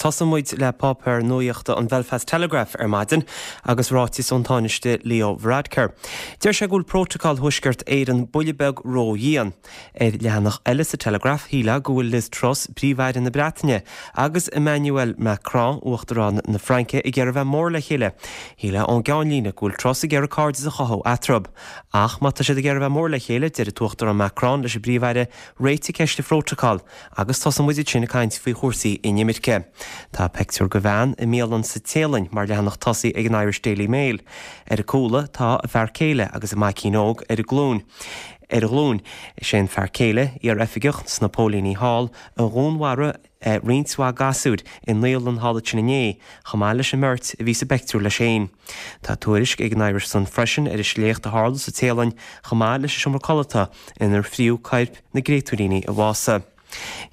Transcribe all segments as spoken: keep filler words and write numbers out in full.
Tosaíonn muid le páipéar nuachta an Belfast Telegraph ar maidin agus ráiteas ón Tánaiste Leo Varadkar. Deir sé go bhfuil Prótacal Thuaisceart Éireann buille beag ródhian. Ar leathanach eile sa Telegraph shílfeá go bhfuil Liz Truss Príomh-Aire na Breataine agus Emmanuel Macron Uachtarán na Fraince ag iarraidh bheith mór le chéile. Shílfeá ón gceannlíne go bhfuil Truss ag iarraidh cairdeas a chothú eatarthu. Ach má tá siad ag iarraidh bheith mór le chéile deir an tUachtarán Macron leis an bPríomh-Aire réitigh ceist an phrótacail agus tosóidh muid ansin ag caint faoi chúrsaí inimirce. Tá pictiúr de bhean i mbialann sa Téalainn mar leathanach tosaigh ag an Irish Daily Mail. Ar a cúla tá a fear céile agus a maicín óg ar a glúin. Ar a ghlúin sé an fear céile iar-oifigeach sna póilíní thall a dhúnmharaigh eh, roinnt mhaith gasúir i naíolann thall ansin inné, chomh maith leis an mbeirt a bhí sa bpictiúr leis féin. Tá tuairisc ag an Irish Sun freisin ar an sléacht a tharla sa Téalainn chomh maith leis an seomra codlata inar fríodh coirp na gcréatúiríní a bhásaigh.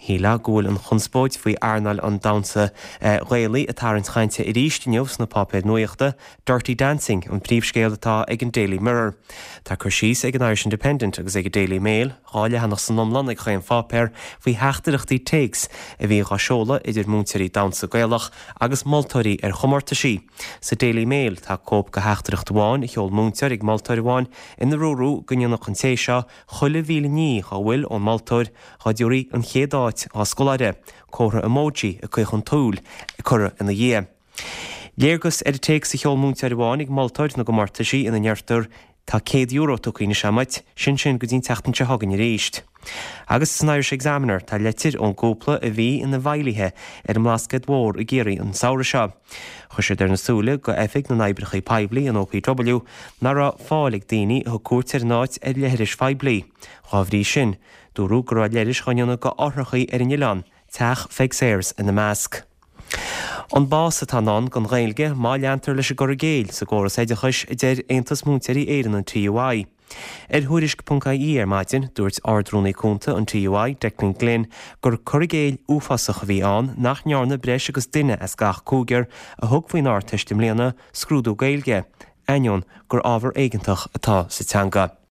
Shílfeá go bhfuil an chonspóid faoi earnáil an damhsa eh, Ghaelaigh ag tarraingt cainte arís inniu sna páipéir nuachta, Dirty Dancing an príomhscéal atá ag an Daily Mirror. Tá cur síos ag an Irish Independent agus ag an Daily Mail, dhá leathanach san iomlán ag chaon pháipéar faoi theachtaireachtaí téacs a bhí á seoladh idir múinteoirí damhsa Gaelach agus moltóirí ar chomórtaisí. Sa Daily Mail tá cóip de theachtaireacht amháin a sheol múinteoir ag moltóir amháin ina ndúradh go ndéanfadh an té seo chuile mhíle ní dá bhfuil ón moltóir dá dtabharfaí an chéad áit dá scoláire, comhartha emoji ag caochadh súl curtha ina dhiaidh. Léargas ar an téacs a sheol múinteoir amháin ag moltóir na gcomórtaisí ina ndeirtear tá céad euro tugtha anois agat, sin sin go dtí an tseachtain seo chugainn arís. Agus san Irish Examiner tá leitir ón gcúpla a bhí ina bhfeighlithe ar an mBlascaod Mór i gCiarraí an samhradh seo. Chuir siad ar na súile go Oifig na nOibreacha Poiblí an OPW nach raibh fáil ag daoine a thug cuairt ar an áit ar leithris phoiblí. Dá bhrí sin, dúradh go raibh leithris á ndéanamh d'fhothrachaí ar an oileán, teach Pheig Sayers ina measc. An bás atá i ndán don Ghaeilge má leantar leis an gcur i gcéill sa gcóras oideachais a deir Aontas Múinteoirí Éireann an TUI. Ar Thuairisc.ie ar maidin dúirt Ardrúnaí Cúnta an TUI Declan Glynn gur cur i gcéill uafásach a bhí ann nach ndearna breis agus duine as gach cúigear a thug faoin Ardteist i mbliana scrúdú Gaeilge, ainneoin gur ábhar éigeantach atá sa teanga.